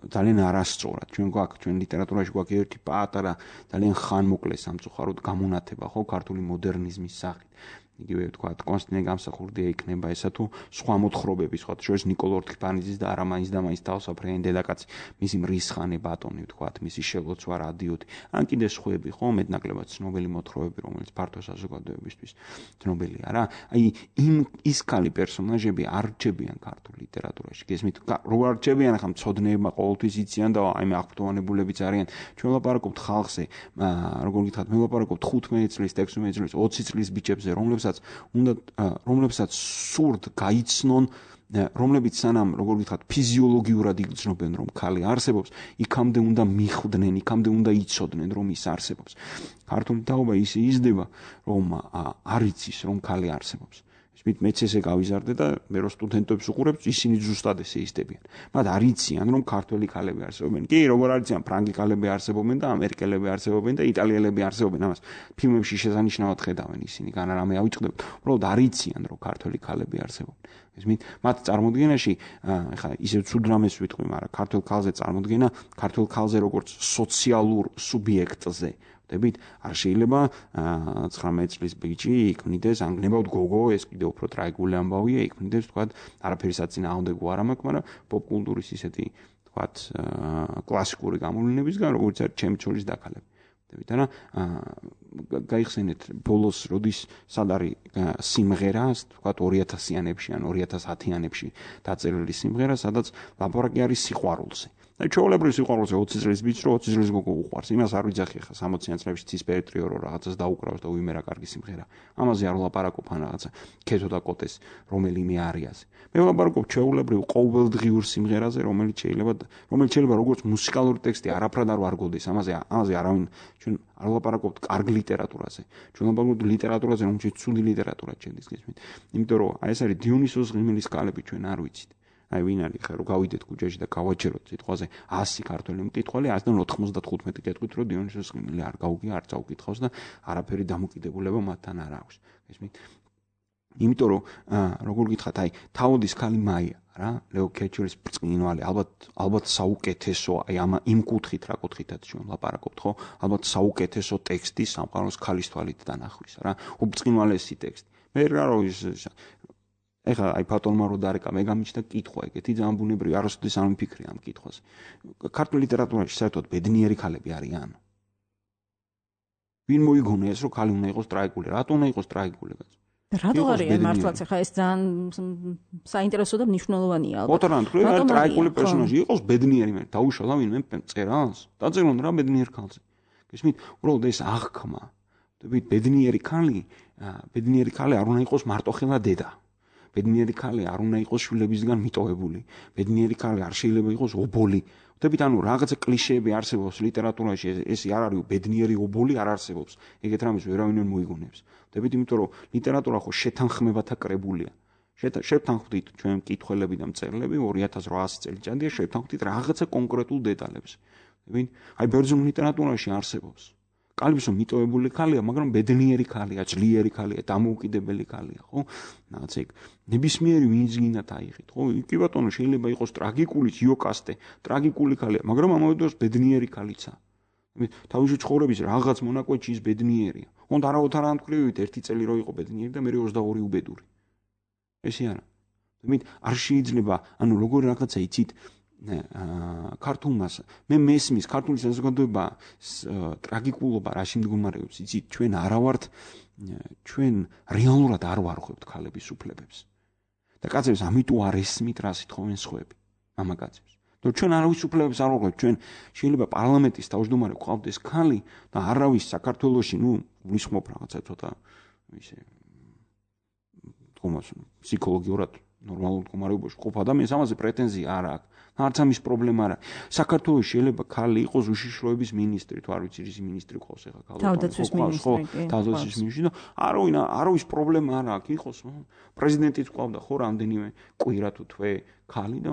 ძალიან არასწორად. ჩვენ ლიტერატურაში გვაქვს ერთი პატარა, ძალიან ხანმოკლე სამწუხაროდ გამონათება, ხო, ქართული მოდერნიზმის სახით. იგივე ვთქვათ, კონსტანტინე გამსახურდია იქნება ესა თუ სხვა მოთხრობები, სხვა შორის ნიკოლო ორთქიფანიძის და არამაინც და მაინც თავსაფრენი დედაკაცი, მისი მრისხანე ბატონი, ვთქვათ, მისი შელოცვა რადიოთი, ან კიდე სხვები, ხო, მეტნაკლებად ცნობილი მოთხრობები, რომელიც ფართო საზოგადოებისთვის ცნობილია რა. აი, ის ქალი პერსონაჟები არ რჩებიან ქართულ ლიტერატურაში. გესმით, რო არ რჩებიან, ახლა მცოდნეებმა ყოველთვის იციან და აი მე აღფრთოვანებულებიც არიან. ჩვენ ვლაპარაკობთ ხალხზე, როგორ გითხრათ, მე ვლაპარაკობთ 15 წლის, 16 წლის, 20 წლის ბიჭებზე, რომლებსაც სურთ გაიცნონ, რომლებიც სანამ, როგორ გითხრათ, ფიზიოლოგიურად იგრძნობენ, რომ ქალი არსებობს, იქამდე უნდა მიხვდნენ, იქამდე უნდა იცოდნენ, რომ ის არსებობს. ქართული თაობა ისე იზრდება, რომ არ იცის, რომ ქალი არსებობს. მეც ესე გავიზარდე და მე რო სტუდენტებს უყურებ, ისინი ზუსტად ესე იზრდებიან. მათ არ იციან, რომ ქართველი ქალები არსებობენ. კი, როგორ არ იციან, ფრანგი ქალები არსებობენ და ამერიკელები არსებობენ და იტალიელები არსებობენ. ამას ფილმებში შესანიშნავად ხედავენ ისინი, განა რამე ავიწყდებთ. უბრალოდ არ იციან, რომ ქართველი ქალები არსებობენ. ესმით, მათ წარმოდგენაში, ეხლა ისევ ცუდ რამეს ვიტყვი, მაგრამ ქართველ ქალზე წარმოდგენა, ქართველ ქალზე როგორც სოციალურ სუბიექტზე. დებით, არ შეიძლება 19 წლის ბიჭი იქმნიდეს, ან გნებავთ გოგო, ეს კიდევ უფრო ტრაგიკული ამბავია, იქმნიდეს, ვთქვათ, არაფერი საწინააღმდეგო არ მაქვს, მაგრამ პოპკულტურის ისეთი, ვთქვათ, კლასიკური გამოვლენებისგან, როგორც არის ჩემი ცოლის დაქალები. დებით, არა, გაიხსენეთ ბოლოს, როდის სად არის სიმღერა, ვთქვათ, 2000-იანებში ან 2010-იანებში დაწერილი სიმღერა, სადაც ლაპარაკი არის სიყვარულზე. და ჩვეულებრივ სიყვარულზე 20 წლის ბიჭს რო 20 წლის გოგო უყვარს, იმას არ ვიძახი ხა 60-იან წლებში ცისფერეთრიო რო რაღაცას დაუკრავს და უიმერა კარგი სიმღერა. ამაზე არ ვლაპარაკობ ან რაღაცა ქეთო და კოტეს რომელიმე არიაზე. მე ვლაპარაკობ ჩვეულებრივ ყოველდღიურ სიმღერაზე, რომელიც შეიძლება როგორც მუსიკალური ტექსტი არაფრად არ ვარგოდეს. ამაზე არავინ ჩვენ არ ვლაპარაკობთ კარგ ლიტერატურაზე. ჩვენ ვლაპარაკობთ ლიტერატურაზე, რომელშიც ცუდი ლიტერატურა ჩენდის გესმით. იმიტომ რომ ეს არის დიონისოს ღიმილის კალები ჩვენ არ ვიცით. აი ვინ არის ხა რომ გავიდეთ ქუჩაში და გავაჩეროთ სიტყვაზე 100 ქართველი მკითხველი 195 კეთყვით რომ დიონისოს ღიმილი არ გაუგია არ წაუკითხავს და არაფერი დამოკიდებულება მათთან არ აქვს. გესმით? იმიტომ რომ როგორ გითხათ აი თავოდის ქალი მაია რა ლეო კეჩურის ბრწყინვალე ალბათ საუკეთესო აი იმ კუთხით რა კუთხითაც ჩვენ ლაპარაკობთ ხო ალბათ საუკეთესო ტექსტი სამყაროს ქალის თვალით დანახვის რა უბრწყინვალესი ტექსტი მე რა რო ის ეხლა აი ფატონმა რო დარეკა მე გამიჩნდა კითხვა ეგეთი ძალიან ბუნებრივი არასოდეს არ მიფიქრე ამ კითხვას ქართულ ლიტერატურაში საერთოდ ბედნიერი ქალები არიან ვინ მოიგონა ეს რომ ქალი უნდა იყოს ტრაგიკული რატო უნდა იყოს ტრაგიკული რატო არიან მართლაც ხა ეს ძალიან საინტერესო და მნიშვნელოვანია ალბათ. ოთარ თქვენ ტრაგიკული პერსონაჟი იყოს ბედნიერი მე დაუშალა ვინმე წერას. დაწერონ რა ბედნიერ ქალზე. გესმით? უბრალოდ ეს აღქმა. ბედნიერი ქალი არ უნდა იყოს მარტოხელა დედა. ბედნიერი ქალი არ უნდა იყოს შვილებისგან მიტოვებული. ბედნიერი ქალი არ შეიძლება იყოს ობოლი. ვთქვით, ანუ რაღაცა კლიშეები არსებობს ლიტერატურაში, ეს არ არის ბედნიერი ობოლი არ არსებობს. ეგეთ რამეს ვერავინ ვერ მოიგონებს. ვთქვით, იმიტომ რომ ლიტერატურა ხო შეთანხმებათა კრებულია. შევთანხმდით ჩვენ მკითხველები და მწერლები 2800 წელიწადია შევთანხმდით რაღაცა კონკრეტულ დეტალებს. ვთქვით, აი ბერძნულ ლიტერატურაში არსებობს. კალბისო მიტოვებული ქალია, მაგრამ ბედნიერი ქალია, ძლიერი ქალია, დამოუკიდებელი ქალია, ხო? რაღაცა იქ ნებისმიერი ვინც გინდათ აიღეთ, ხო? კი ბატონო, შეიძლება იყოს ტრაგიკული იოკასტე, ტრაგიკული ქალია, მაგრამ ამავე დროს ბედნიერი ქალიცა. თავისი ცხოვრების რაღაც მონაკვეთში ის ბედნიერია. უნდა არავითარ ამთქვრივით ერთი წელი რო იყო ბედნიერი და მე 22 უბედური. ესე არა. არ შეიძლება, ანუ როგორ რაღაცა იცით ქართულმას მე მესმის ქართული საზოგადოება ტრაგიკულობა რაში მდგომარეობს იცით ჩვენ არა ვართ ჩვენ რეალურად არ ვარღვევთ ქალების უფლებებს და კაცებს ამიტომ არ ესმით რა სიტყვენ სხვები მამაკაცებს და ჩვენ არავის უფლებებს არ ვარღვევთ ჩვენ შეიძლება პარლამენტის თავმჯდომარე გვყავდეს ქალი და არავის საქართველოში ვისხმობ რაღაცა ცოტა ისე თქომას ფსიქოლოგიურად ნორმალურ მდგომარეობაში ყოფ ადამიანს ამაზე პრეტენზია არ აქვს არც ამის პრობლემა არა. საქართველოს შეიძლება ქალი იყოს უშიშროების მინისტრი, თუ არ ვიცი რის მინისტრი ყავს ახლა ქალო. თავდაცვის მინისტრი. თავდაცვის მინისტრი და არავის პრობლემა არ აქვს, იყოს პრეზიდენტიც ყავდა ხო რამდენიმე კვირა თუ თვე ქალი და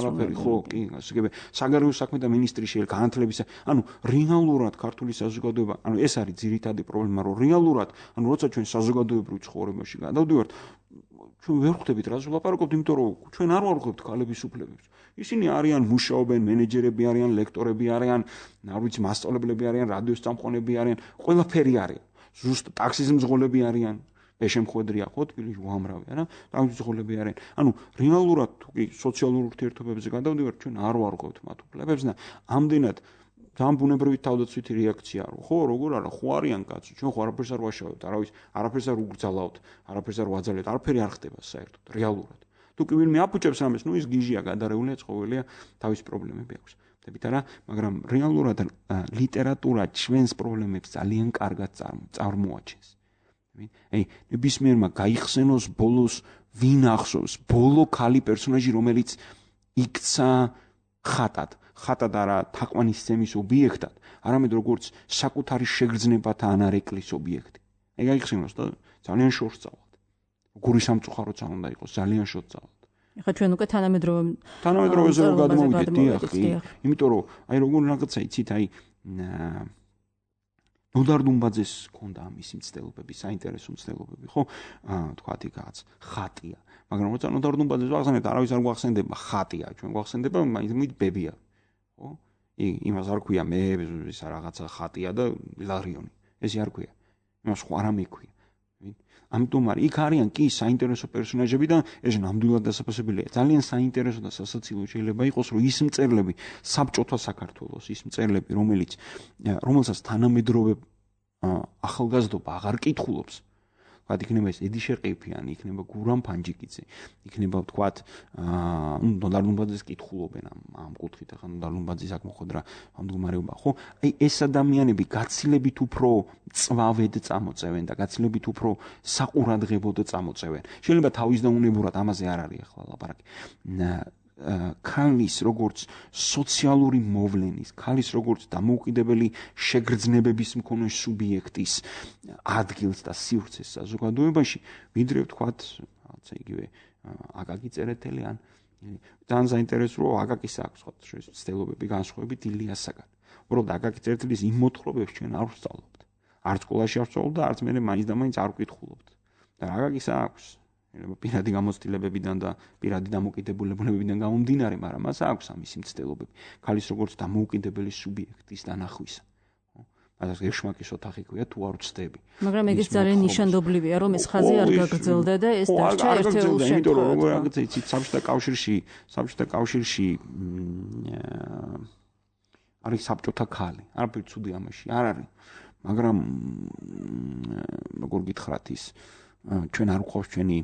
არაფერი ხო კი გასაგებია. საგარეო საქმეთა მინისტრი შეიძლება განათლების ანუ რეალურად ქართული საზოგადოება, ანუ ეს არის ძირითადი პრობლემა, რომ რეალურად, ანუ როცა ჩვენ საზოგადოებრივ ცხოვრებაში გადავდივართ ჩვენ ვერ ხვდებით რას ვლაპარაკობთ, იმიტომ რომ ჩვენ არ ვარღვევთ ქალების უფლებებს. ისინი არიან მუშაობენ, მენეჯერები არიან, ლექტორები არიან, არ ვიცი, მასწავლებლები არიან, რადიოს წამყვანები არიან, ყველაფერი არიან. ზუსტ ტაქსის მძღოლები არიან, ეშემხვედრია ხო თბილისში უამრავი, არა? ტაქსის მძღოლები არიან. ანუ რეალურად თუ კი სოციალურ ურთიერთობებზე გადავდივართ, ჩვენ არ ვარღვევთ მათ უფლებებს და ამდენად ძალიან ბუნებრივი თავდაცვითი რეაქცია რო ხო როგორ არა ხო არიან კაცი ჩვენ ხო არაფერს არ ვაშავებთ არაფერს არ უგრძალავთ არაფერს არ ვაძალებთ არაფერი არ ხდება საერთოდ რეალურად თუ კი ვინმე აფუჭებს ამას ის გიჟია გადარეულია ცხოველია თავის პრობლემები აქვს ვთებით არა მაგრამ რეალურად ლიტერატურა ჩვენს პრობლემებს ძალიან კარგად წარმოაჩენს აი ნებისმიერმა გაიხსენოს ბოლოს ვინ ახსოვს ბოლო ქალი პერსონაჟი რომელიც იქცა ხატად არა თაყვანის სცემის ობიექტად, არამედ როგორც საკუთარი შეგრძნებათა ანარეკვლის ობიექტი. ეგ აიხსენოს და ძალიან შორს წავალთ. გური სამწუხაროც არ უნდა იყოს, ძალიან შორს წავალთ. ეხლა ჩვენ უკვე თანამედროვეზე რომ გადმოვიდეთ, დიახ, იმიტომ რომ აი როგორ რაღაცა იცით, აი ნოდარ დუმბაძეს ჰქონდა ამის მცდელობები, საინტერესო მცდელობები, ხო? თქვათ იქაც ხატია. მაგრამ როცა ნოდარ დუმბაძეს ვახსენებთ, არავის არ გვახსენდება ხატია, ჩვენ გვახსენდება მაინც ბებია. ხო? იმას არ ქვია მე ეს რაღაცა ხატია და ლარიონი. ესე არ ქვია. იმას ხო არ ამექვია. ამიტომ არის იქ არიან კი საინტერესო პერსონაჟები და ეს ნამდვილად დასაფასებელია. ძალიან საინტერესო და სასაცილო შეიძლება იყოს, რომ ის მწერლები საბჭოთა საქართველოს, ის მწერლები, რომელსაც თანამედროვე ახალგაზრდობა აღარ კითხულობს, ვთქვათ, იქნება ეს ედიშერ ყიფიანი, იქნება გურამ ფანჯიკიძე, იქნება ვთქვათ, ნოდარ ლუმბაძეს კითხულობენ ამ კუთხით, ახლა ნოდარ ლუმბაძის აქ მოხდრა ამ მდგომარეობა, ხო? აი ეს ადამიანები გაცილებით უფრო წვავედ წამოწევენ და გაცილებით უფრო საყურადღებოდ წამოწევენ. შეიძლება თავისდაუნებურად ამაზე არ არის ახლა ლაპარაკი. ქალის როგორც სოციალური მოვლენის, ქალის როგორც დამოუკიდებელი შეგრძნებების მქონე სუბიექტის ადგილს და სივრცეს საზოგადოებაში, ვიდრე ვთქვათ, რაღაცა იგივე აკაკი წერეთელი ან ძალიან საინტერესოა აკაკის აქვს სხვა ცდილობები განსხვავებით ილიასაგან. უბრალოდ აკაკი წერეთელის იმ მოთხრობებს ჩვენ არ ვსწავლობთ. არც სკოლაში არ ვსწავლობთ და არც მე მაინც და მაინც არ ვკითხულობთ. და აკაკის აქვს პირადი გამოცდილებებიდან და პირადი დამოკიდებულებებიდან გამომდინარე, მაგრამ მას აქვს ამისი მცდელობები. ქალის როგორც დამოუკიდებელი სუბიექტის დანახვისა. მაგას გეშმაკის ოთახი ქვია თუ არ ვწდები. მაგრამ ეგეც ძალიან ნიშანდობლივია, რომ ეს ხაზი არ გაგრძელდა და ეს დარჩა ერთეულ შემთხვევაში. იმიტომ რომ რაღაცა იცით, საბჭოთა კავშირში არის საბჭოთა ქალი. არაფერი ცუდი ამაში არ არის. მაგრამ როგორ გითხრათ ის ჩვენ არ გვყავს ჩვენი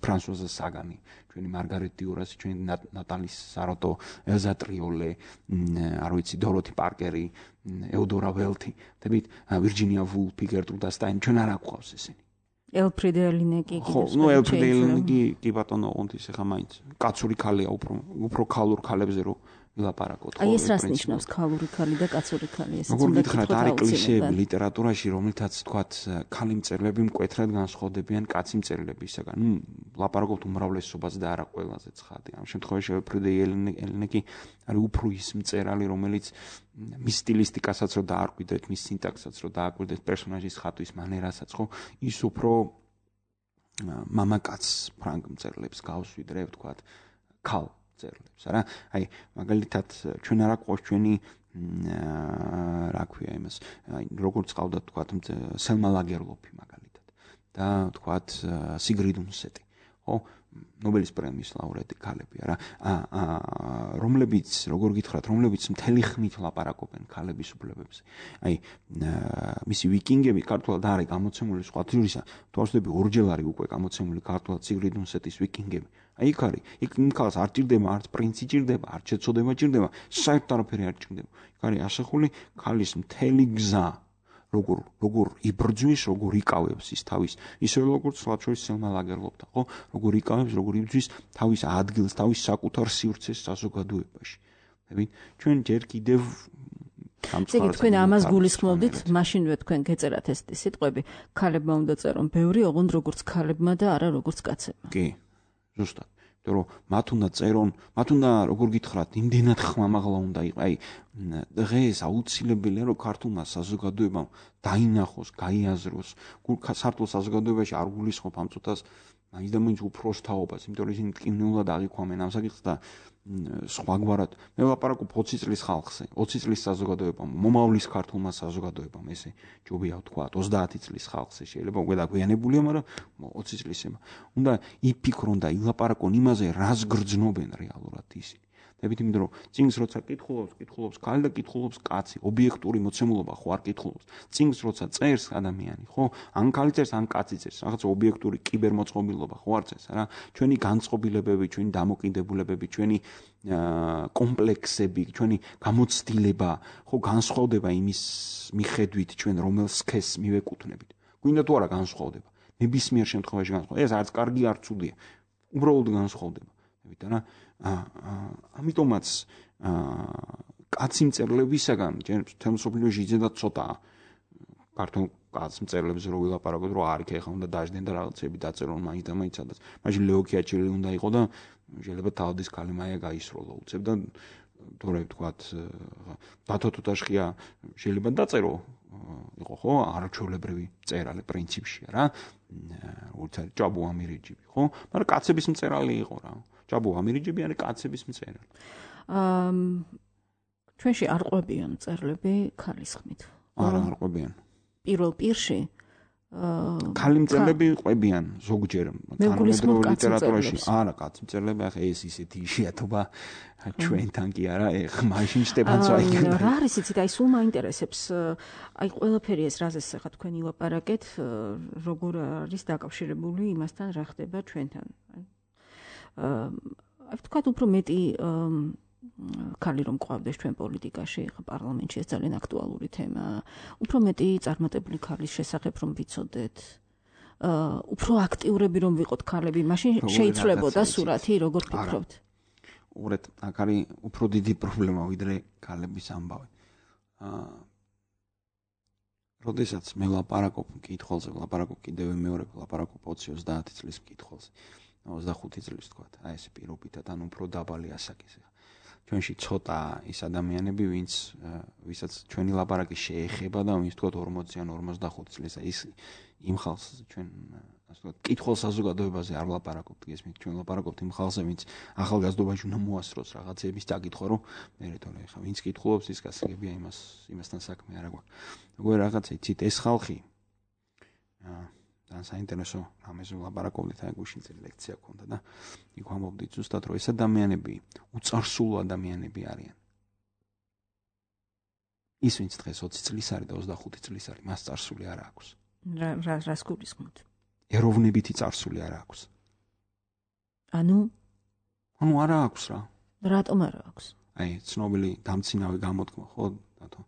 ფრანსუაზა საგანი, ჩვენი მარგარეტ დიურასი, ჩვენი ნატალის საროტო, ელზა ტრიოლე, არ ვიცი, დოროთი პარკერი, ეუდორა ველთი, თებით ვირჯინია ვულფი, გერტრუდა სტაინი, ჩვენ არ გვყავს ესენი. ელფრიდ ელინეკი კი. ხო, ნუ ელფრიდ ელინეკი კი ბატონო, ოღონდ ის ახლა მაინც კაცური ქალია, უფრო ქალურ ქალებზე რო ვილაპარაკოთ. აი ეს რას ნიშნავს ქალური ქალი და კაცური ქალი? ეს როგორ გითხრათ, არის კლიშეები ლიტერატურაში, რომელთაც თქვათ ქალი მწერლები მკვეთრად განსხვავდებიან კაცი მწერლებისაგან. ნუ ლაპარაკობთ უმრავლესობას და არა ყველაზე ცხადი. ამ შემთხვევაში ელფრიდ ელინეკი არის უფრო ის მწერალი, რომელიც მის სტილისტიკასაც რო დაარკვიდეთ, მის სინტაქსსაც რო დაარკვიდეთ, პერსონაჟის ხატვის მანერასაც, ხო, ის უფრო მამაკაც ფრანგ მწერლებს გავს, ვიდრე ვთქვათ, ქალ წერლებს, არა? აი, მაგალითად, ჩვენ არა გვყავს ჩვენი რა ქვია იმას, აი, როგორც ყავდათ ვთქვათ, სელმა ლაგერლოფი მაგალითად და ვთქვათ, სიგრიდ უნსეტი, ხო? ნობელის პრემიის ლაურეატი ქალები, არა? რომლებიც, როგორ გითხრათ, რომლებიც მთელი ხნით ლაპარაკობენ ქალების უფლებებზე. აი, მისი ვიკინგები ქართულად არის გამოცემული სხვა თვისისა, თვალსდები ორჯერ არის უკვე გამოცემული ქართულად სიგრიდ უნსეტის ვიკინგები. აი, იქ არის, იქ ქალს არ ჭირდება, არც პრინცი ჭირდება, არც შეცოდება ჭირდება, საერთოდ არაფერი არ ჭირდება. იქ არის ასახული ქალის მთელი გზა, როგორ იბრძვის, როგორ იკავებს ის თავის, ისე როგორც სლაჩოვის სელმა ლაგერლოფთან, ხო? როგორ იკავებს, როგორ იბრძვის თავის ადგილს, თავის საკუთარ სივრცეს საზოგადოებაში. ხებით? ჩვენ ჯერ კიდევ ეგ თქვენ ამას გულისხმობდით, მაშინვე თქვენ გეწერათ ეს სიტყვები, ქალებმა უნდა წერონ ბევრი, ოღონდ როგორც ქალებმა და არა როგორც კაცებმა. კი, ზუსტად. რომ მათ უნდა წერონ, მათ უნდა როგორ გითხრათ, იმდენად ხმამაღლა უნდა იყოს. აი, დღეს აუცილებელია რომ ქართულმა საზოგადოებამ დაინახოს, გაიაზროს, ქართულ საზოგადოებაში არ გულისხმობ ამ წუთას მაინც და მაინც უფროსთაობას, იმიტომ რომ ისინი ტკივნეულად აღიქვამენ ამ საკითხს და სხვაგვარად მე ვლაპარაკობ 20 წლის ხალხზე, 20 წლის საზოგადოებამ, მომავლის ქართულმა საზოგადოებამ, ესე ჯობია ვთქვა 30 წლის ხალხზე, შეიძლება უკვე დაგვიანებულია, მაგრამ 20 წლისება. უნდა იფიქრონ და ილაპარაკონ იმაზე, რას გრძნობენ რეალურად ისინი. დებით იმიტომ რომ წინს როცა კითხულობს ქალი და კითხულობს კაცი, ობიექტური მოცემულობა ხო არ კითხულობს. წინს როცა წერს ადამიანი, ხო? ან ქალი წერს, ან კაცი წერს, რაღაც ობიექტური კიბერმოწყობილობა ხო არ წერს, რა? ჩვენი განწყობილებები, ჩვენი დამოკიდებულებები, ჩვენი კომპლექსები, ჩვენი გამოცდილება, ხო, განსხვავდება იმის მიხედვით ჩვენ რომელ სქესს მივეკუთვნებით. გვინდა თუ არა განსხვავდება. ნებისმიერ შემთხვევაში განსხვავდება. ეს არც კარგი, არც ცუდია. უბრალოდ განსხვავდება. რა? ამიტომაც კაცი მწერლებისაგან თემ სოფლიოში იძენდა ცოტა ქართულ კაც მწერლებს რო ვილაპარაკოთ, რომ არ იქ ეხა უნდა დაждენ და რაღაცები დაწერონ მაინც და მაინც სადაც. მაშინ ლეო ქიაჩელი უნდა იყო და შეიძლება თავდის კალიმაია გაისროლა უცებ და თორე ვთქვათ ბათო თუთაშხია შეიძლება დაწერო იყო ხო არჩევლებრივი წერალი პრინციპში რა. როგორც არის ჭაბო ამირეჯიბი ხო? მაგრამ კაცების მწერალი იყო რა. ჭაბო ამირეჯიბი არის კაცების მწერალი. ჩვენში არ ყვებიან მწერლები ქალის ხმით. არ ყვებიან. პირველ პირში ქალი მწერლები ყვებიან ზოგჯერ თანამედროვე ლიტერატურაში არა კაცი მწერლები ახლა ეს ისეთი იშვიათობა ჩვენთან კი არა ეხ მაშინ სტეფანს ვაიგებდა რა არის იცით აი სულ მაინტერესებს აი ყველაფერი ეს რაზეც ახლა თქვენ ილაპარაკეთ როგორ არის დაკავშირებული იმასთან რა ხდება ჩვენთან აი ვთქვათ უფრო მეტი ქალი რომ ყვავდეს ჩვენ პოლიტიკაში, ხა პარლამენტში ეს ძალიან აქტუალური თემა. უფრო მეტი წარმატებული ქალის შესახებ რომ ვიცოდეთ. უფრო აქტიურები რომ ვიყოთ ქალები, მაშინ შეიცვლებოდა სურათი, როგორ ფიქრობთ? უბრალოდ აქ არის უფრო დიდი პრობლემა ვიდრე ქალების ამბავი. როდესაც მე ლაპარაკობ მკითხველზე, ლაპარაკობ კიდევ მეორე ლაპარაკობ 20-30 წლის მკითხველზე. 25 წლის თქვათ, აი ეს პირობითად ან უფრო დაბალი ასაკის. ჩვენში ცოტა ის ადამიანები, ვისაც ჩვენი ლაპარაკი შეეხება და ვინც თქვათ 40 ან 45 წლის, ის იმ ხალხს ჩვენ ასე ვთქვათ, კითხულ საზოგადოებაზე არ ლაპარაკობთ, გესმით, ჩვენ ლაპარაკობთ იმ ხალხზე, ვინც ახალგაზრდობაში უნდა მოასწროს რაღაცეების დაკითხვა, რომ მე რეთორე ხა, ვინც კითხულობს, ის გასაგებია იმასთან საქმე არ აქვს. როგორ რაღაცა იცით, ეს ხალხი და საინტერესო რამეზე ლაპარაკობდით, აი გუშინ წელი ლექცია ქონდა და იქ ვამბობდით ზუსტად, რომ ეს ადამიანები უწარსულო ადამიანები არიან. ის ვინც დღეს 20 წლის არის და 25 წლის არის, მას წარსული არ აქვს. რას გულისხმობთ? ეროვნებითი წარსული არ აქვს. ანუ არა აქვს რა. რატომ არ აქვს? აი, ცნობილი დამცინავი გამოთქმა, ხო, დათო,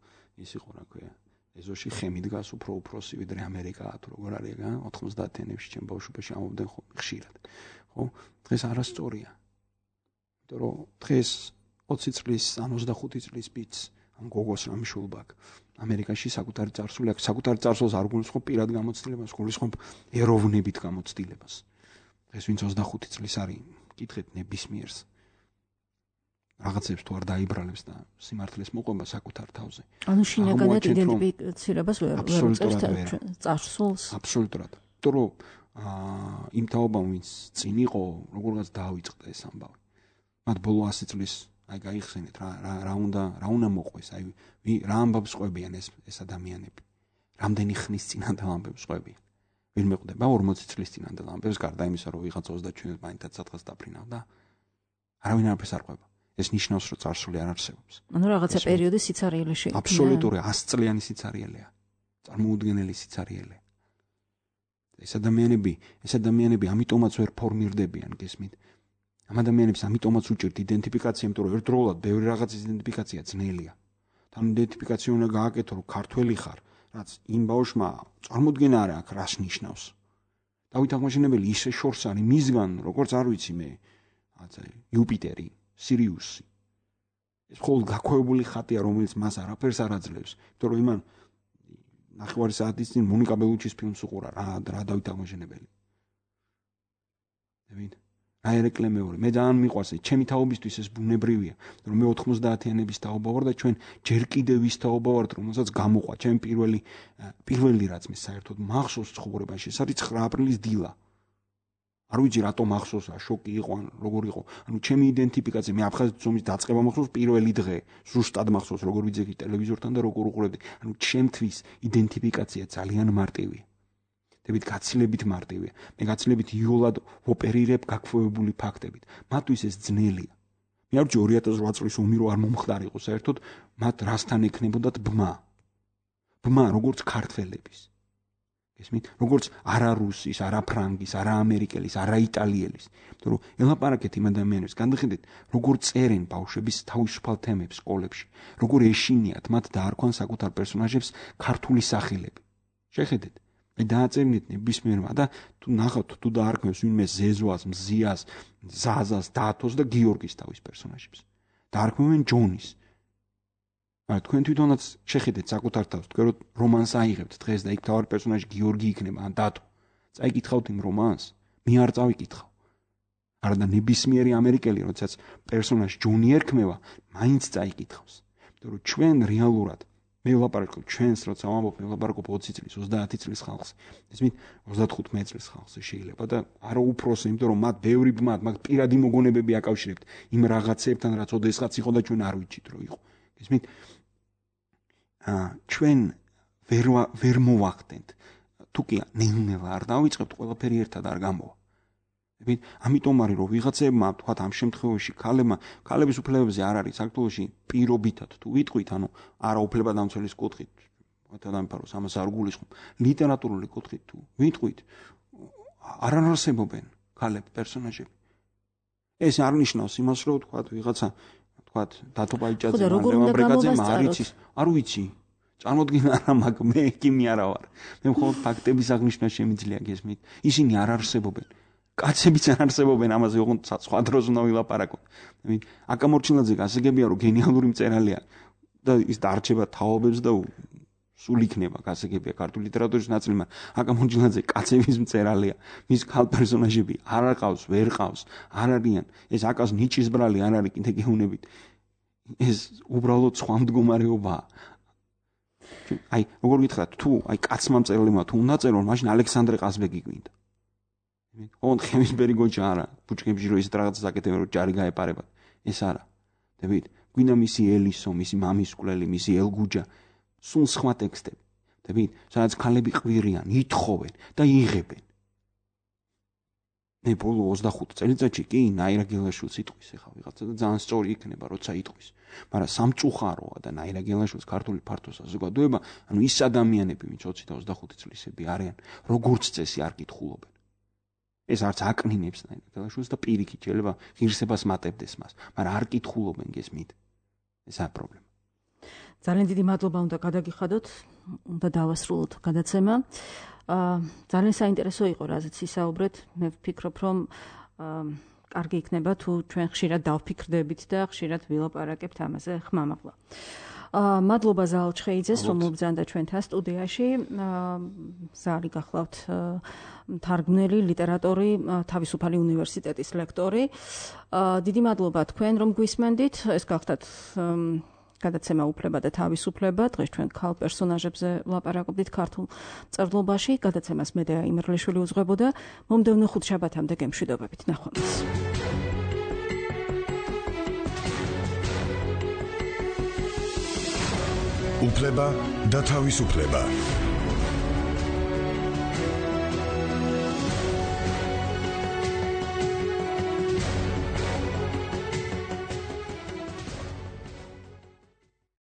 ის იყო რა ქვია. ეზოში ხემი დგას უფრო უფროსი ვიდრე ამერიკაა თუ როგორ არის რა 90-იანებში ჩემ ბავშვობაში ამობდნენ ხშირად ხო დღეს არასწორია იმიტომ რომ დღეს 20 წლის ან 25 წლის ბიჭს ან გოგოს რამე შულბაკ ამერიკაში საკუთარი წარსული აქვს საკუთარი წარსულს არ გულისხმობ პირად გამოცდილებას გულისხმობ ეროვნებით გამოცდილებას დღეს ვინც 25 წლის არის კითხეთ ნებისმიერს რაღაცებს თუ არ დაიბრალებს და სიმართლეს მოყვება საკუთარ თავზე. ანუ შინაგანად იდენტიფიცირებას ვერ წერთ წარსულს. აბსოლუტურად. იმიტომ რომ იმ თაობამ ვინც წინ იყო, როგორღაც დაავიწყდა ეს ამბავი. მათ ბოლო 100 წლის აი გაიხსენეთ რა უნდა მოყვეს, აი რა ამბავს ყვებიან ეს ადამიანები. რამდენი ხნის წინანდელ ამბებს ყვებიან. ვინმე ყვდება 40 წლის წინანდელ ამბებს, გარდა იმისა, რომ ვიღაც 37 მაინც სადღაც დაფრინავდა. არავინ არაფერს არ ყვება. ეს ნიშნავს, რომ წარსული არ არსებობს. ანუ რაღაცა პერიოდი სიცარიელე შეიქმნა. აბსოლუტური 100 წლიანი სიცარიელეა. წარმოუდგენელი სიცარიელე. ეს ადამიანები ამიტომაც ვერ ფორმირდებიან, გესმით? ამ ადამიანებს ამიტომაც უჭირთ იდენტიფიკაცია, იმიტომ რომ ერთდროულად ბევრი რაღაცის იდენტიფიკაცია ძნელია. თან იდენტიფიკაცია უნდა გააკეთო, რომ ქართველი ხარ, რაც იმ ბავშვმა წარმოუდგენა არ აქვს, რას ნიშნავს. დავით აღმაშენებელი ისე შორს არის მისგან, როგორც არ ვიცი მე, რაღაცა იუპიტერი სირიუსი. ეს მხოლოდ გაქვეებული ხატია, რომელიც მას არაფერს არ აძლევს. იმიტომ რომ იმან ნახევარი საათის წინ მონიკა ბელუჩის ფილმს უყურა რა დავით აღმაშენებელი. დავით რა ერეკლე მეორე. მე ძალიან მიყვარს ეს ჩემი თაობისთვის ეს ბუნებრივია. რომ მე 90-იანების თაობა ვარ და ჩვენ ჯერ კიდევ ის თაობა ვართ, რომელსაც გამოყვა. ჩემი პირველი რაც მე საერთოდ მახსოვს ცხოვრებაში, ეს არის 9 აპრილის დილა. არ ვიცი რატომ მახსოვს რა შოკი იყო ან როგორ იყო ანუ ჩემი იდენტიფიკაცია მე აფხაზეთის ომის დაწყება მახსოვს პირველი დღე ზუსტად მახსოვს როგორ ვიძეგი ტელევიზორთან და როგორ უყურებდი ანუ ჩემთვის იდენტიფიკაცია ძალიან მარტივია დებით გაცილებით მარტივია მე გაცილებით იოლად ოპერირებ გაქვეებული ფაქტებით მათთვის ეს ძნელია მე არ ვჭი 2008 წლის ომი რო არ მომხდარიყო საერთოდ მათ რასთან ექნებოდათ ბმა როგორც ქართველების ესმით როგორც არა რუსის, არა ფრანგის, არა ამერიკელის, არა იტალიელის. იმიტომ რომ ელაპარაკეთ იმ ადამიანებს, განვიხილეთ, როგორ წერენ ბავშვების თავისუფალ თემებს სკოლებში, როგორ ეშინიათ მათ დაარქვან საკუთარ პერსონაჟებს ქართული სახელები. შეხედეთ, მე დააწერნით ნებისმიერმა და თუ ნახავთ, თუ დაარქმევს ვინმე ზეზოას, მზიას, ზაზას, დათოს და გიორგის თავის პერსონაჟებს. დაარქმევენ ჯონის. მაგრამ თქვენ თვითონაც შეხედეთ საკუთარ თავს, თქვენ რომანს აიღებთ დღეს და იქ თავარი პერსონაჟი გიორგი იქნება ან დათო. წაიკითხავთ იმ რომანს? მე არ წავიკითხავ. არადა ნებისმიერი ამერიკელი, როდესაც პერსონაჟი ჯონი ერქმევა, მაინც წაიკითხავს. იმიტომ რომ ჩვენ რეალურად მე ვლაპარაკობ ჩვენს, როცა ვამბობ, მე ვლაპარაკობ 20 წლის, 30 წლის ხალხს. ესმით 35 წლის ხალხს შეიძლება და არა უფროსი, იმიტომ რომ მათ ბევრი ბმათ, მათ პირადი მოგონებები აკავშირებთ იმ რაღაცებთან, რაც ოდესღაც იყო და ჩვენ არ ვიცით რომ იყო. ესმით ჩვენ ვერ მოვახდენთ თუ კი ნელ-ნელა არ დავიწყებთ, ყველაფერი ერთად არ გამოვა. ამიტომ არის რომ ვიღაცებმა თქვათ ამ შემთხვევაში ქალების უფლებებზე არ არის საქართველოში პირობითად თუ ვიტყვით, ანუ არა უფლებადამცველის კუთხით, ადამიანფაროს ამას არ გულისხმობ, ლიტერატურული კუთხით თუ ვიტყვით, არ არსებობენ ქალები პერსონაჟები. ეს არ ნიშნავს იმას, რომ თქვათ ვიღაცა თქვათ დათო ბაიჭაძე, ლევან ბრეგაძემ არ იცის, არ ვიცი. წარმოდგენა არა მაქვს, მე კი არა ვარ. მე მხოლოდ ფაქტების აღნიშვნა შემიძლია გესმით. ისინი არ არსებობენ. კაცებიც არ არსებობენ, ამაზე ოღონდ სხვა დროს უნდა ვილაპარაკოთ. აკამორჩილაძე გასაგებია, რომ გენიალური მწერალია და ის დარჩება თაობებს და სულ იქნება გასაგებია ქართული ლიტერატურის ნაწილი, მაგრამ აკამორჩილაძე კაცების მწერალია. მის ქალ პერსონაჟები არ ყავს, ვერ ყავს, არ არიან. ეს აკას ნიჭის ბრალი არ არის კიდე გეუნებით. ეს უბრალოდ სხვა მდგომარეობაა. აი, როგორ გითხრათ, თუ აი კაცმა მწერალმა თუ უნდა წერონ, მაშინ ალექსანდრე ყაზბეგი გვინდა. ოღონდ ხემისბერი გოჯა არა, ბუჩქებში რო ის რაღაცას აკეთებენ, რომ ჯარი გაეპარებათ. ეს არა. დებით, გვინდა მისი ელისო, მისი მამის კვლელი, მისი ელგუჯა, სულ სხვა ტექსტები. დებით, სადაც ქალები ყვირიან, ითხოვენ და იღებენ. მე ბოლო 25 წელიწადში კი ნაირა გელაშვილს იტყვის ახლა ვიღაცა და ძალიან სწორი იქნება, როცა იტყვის. მაგრამ სამწუხაროა და ნაირა გელაშვილს ქართული ფართო საზოგადოება, ანუ ის ადამიანები, ვინც 20 და 25 წლისები არიან, როგორც წესი არ კითხულობენ. ეს არც აკნინებს ნაირა გელაშვილს და პირიქით შეიძლება ღირსებას მატებდეს მას, მაგრამ არ კითხულობენ გესმით. ესაა პრობლემა. ძალიან დიდი მადლობა უნდა გადაგიხადოთ, უნდა დავასრულოთ გადაცემა. ძალიან საინტერესო იყო, რაზეც ისაუბრეთ. მე ვფიქრობ, რომ კარგი იქნება თუ ჩვენ ხშირად დავფიქრდებით და ხშირად ვილაპარაკებთ ამაზე ხმამაღლა. მადლობა ზაალ ჩხეიძეს, რომ მობრძანდა ჩვენთან სტუდიაში. ზაალი გახლავთ თარგმნელი, ლიტერატორი, თავისუფალი უნივერსიტეტის ლექტორი. დიდი მადლობა თქვენ, რომ გვისმენდით. ეს გახლავთ გადაცემა უფლება და თავისუფლება. დღეს ჩვენ ქალ პერსონაჟებზე ვლაპარაკობდით ქართულ წერლობაში. გადაცემას მედეა იმერლიშვილი უძღვებოდა. მომდევნო ხუთშაბათამდე გემშვიდობებით. ნახვამდის. უფლება და თავისუფლება.